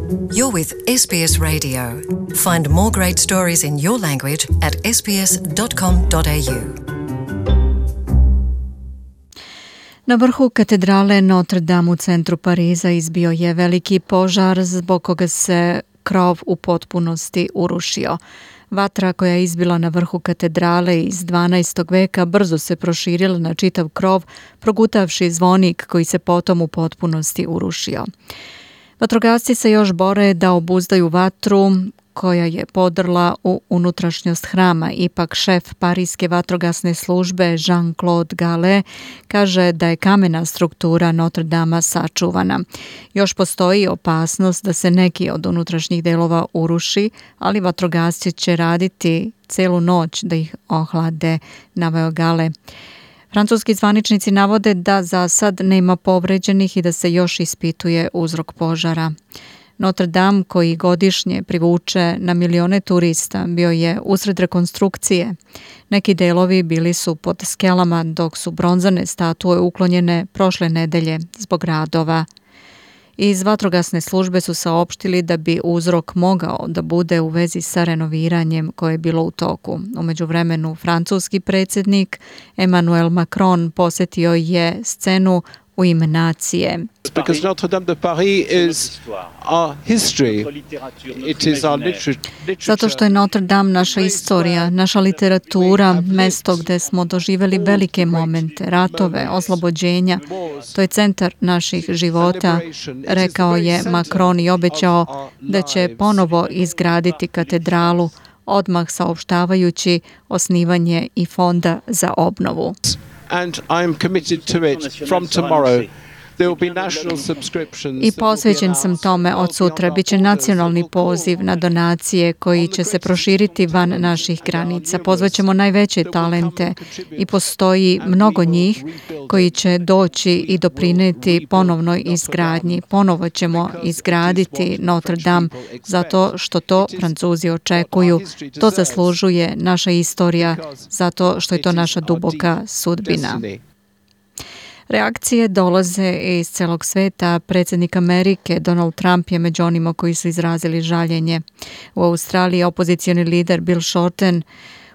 You're with SBS Radio. Find more great stories in your language at sbs.com.au. Na vrhu katedrale Notre Dame u centru Pariza izbio je veliki požar zbog koga se krov u potpunosti urušio. Vatra koja je izbila na vrhu katedrale iz 12. veka brzo se proširila na čitav krov, progutavši zvonik koji se potom u potpunosti urušio. Vatrogasci se još bore da obuzdaju vatru koja je podrla u unutrašnjost hrama. Ipak šef Parijske vatrogasne službe Jean-Claude Gallet kaže da je kamena struktura Notre Dama sačuvana. Još postoji opasnost da se neki od unutrašnjih delova uruši, ali vatrogasci će raditi celu noć da ih ohlade, naveo Gallet. Francuski zvaničnici navode da za sad nema povređenih i da se još ispituje uzrok požara. Notre Dame, koji godišnje privuče na milione turista, bio je usred rekonstrukcije. Neki delovi bili su pod skelama, dok su bronzane statue uklonjene prošle nedelje zbog radova. Iz vatrogasne službe su saopštili da bi uzrok mogao da bude u vezi sa renoviranjem koje je bilo u toku. U međuvremenu, francuski predsjednik Emmanuel Macron posjetio je scenu u ime nacije. Because Notre Dame de Paris is our history. It is our literature. Zato što je Notre Dame naša istorija, naša literatura, mesto gdje smo doživjeli velike momente, ratove, oslobođenja. To je centar naših života, rekao je Macron i obećao da će ponovo izgraditi katedralu, odmah saopštavajući osnivanje i fonda za obnovu. And I am committed to it from tomorrow. There will be national subscriptions. I posvećen sam tome od sutra. Biće nacionalni poziv na donacije koji će se proširiti van naših granica. Pozvaćemo najveće talente i postoji mnogo njih koji će doći i doprineti ponovnoj izgradnji. Ponovo ćemo izgraditi Notre Dame zato što to Francuzi očekuju. To zaslužuje naša istorija zato što je to naša duboka sudbina. Reakcije dolaze iz celog sveta. Predsjednik Amerike Donald Trump je među onima koji su izrazili žaljenje. U Australiji opozicioni lider Bill Shorten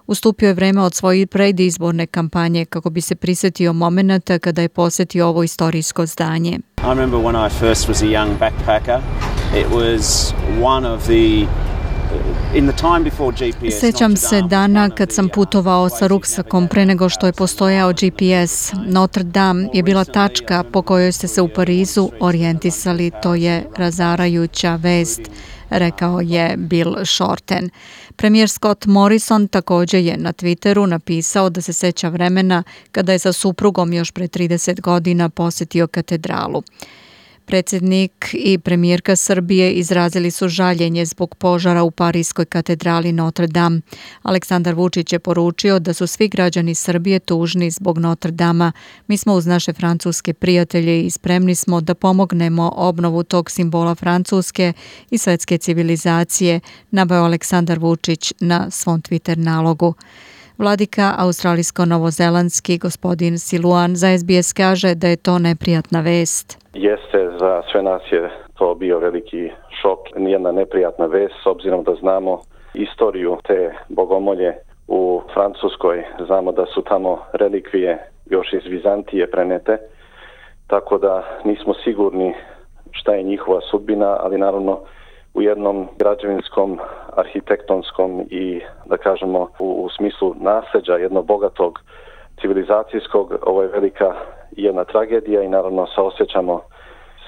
ustupio je vreme od svoje predizborne kampanje kako bi se prisjetio momenata kada je posjetio ovo istorijsko zdanje. I remember when I first was a young backpacker. It was one of the Sjećam se dana kad sam putovao sa ruksakom pre nego što je postojao GPS. Notre Dame je bila tačka po kojoj ste se u Parizu orijentisali. To je razarajuća vest, rekao je Bill Shorten. Premijer Scott Morrison također je na Twitteru napisao da se sjeća vremena kada je sa suprugom još pre 30 godina posjetio katedralu. Predsjednik i premijerka Srbije izrazili su žaljenje zbog požara u Parijskoj katedrali Notre Dame. Aleksandar Vučić je poručio da su svi građani Srbije tužni zbog Notre Dama. Mi smo uz naše francuske prijatelje i spremni smo da pomognemo obnovu tog simbola francuske i svetske civilizacije, naveo Aleksandar Vučić na svom Twitter nalogu. Vladika australijsko-novozelandski gospodin Siluan za SBS kaže da je to neprijatna vest. Jeste, za sve nas je to bio veliki šok, nijedna neprijatna vest, s obzirom da znamo istoriju te bogomolje u Francuskoj. Znamo da su tamo relikvije još iz Vizantije prenete, tako da nismo sigurni šta je njihova sudbina, ali naravno u jednom građevinskom, arhitektonskom i, da kažemo, u smislu nasljeđa jednog bogatog civilizacijskog, ovo je velika jedna tragedija i naravno saosjećamo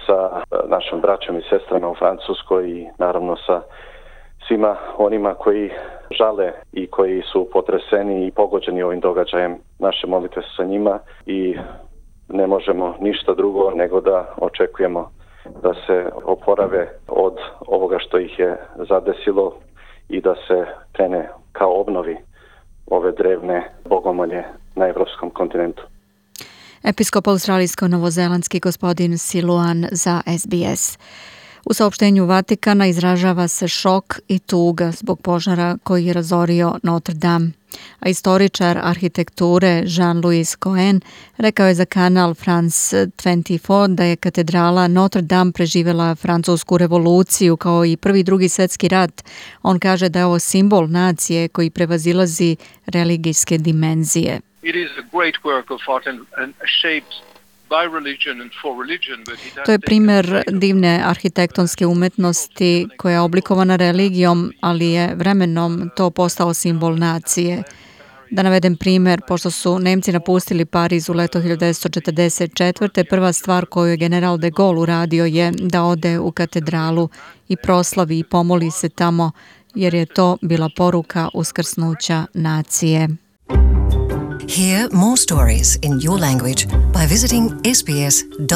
sa našom braćom i sestrama u Francuskoj i naravno sa svima onima koji žale i koji su potreseni i pogođeni ovim događajem. Naše molitve su sa njima i ne možemo ništa drugo nego da očekujemo da se oporave od ovoga što ih je zadesilo i da se krene kao obnovi ove drevne bogomolje na evropskom kontinentu. Episkop australijsko-novozelandski gospodin Siluan za SBS. U saopštenju Vatikana izražava se šok i tuga zbog požara koji je razorio Notre Dame. A istoričar arhitekture Jean-Louis Cohen rekao je za kanal France 24 da je katedrala Notre Dame preživjela francusku revoluciju kao i Prvi i Drugi svjetski rat. On kaže da je ovo simbol nacije koji prevazilazi religijske dimenzije. It is a great work of art and shaped by religion and for religion, but it has To je primjer divne arhitektonske umetnosti koja je oblikovana religijom, ali je vremenom to postao simbol nacije. Da navedem primjer, pošto su Nemci napustili Pariz u leto 1944. prva stvar koju je general de Gaulle uradio je da ode u katedralu i proslavi i pomoli se tamo, jer je to bila poruka uskrsnuća nacije. Hear more stories in your language by visiting sbs.com.au.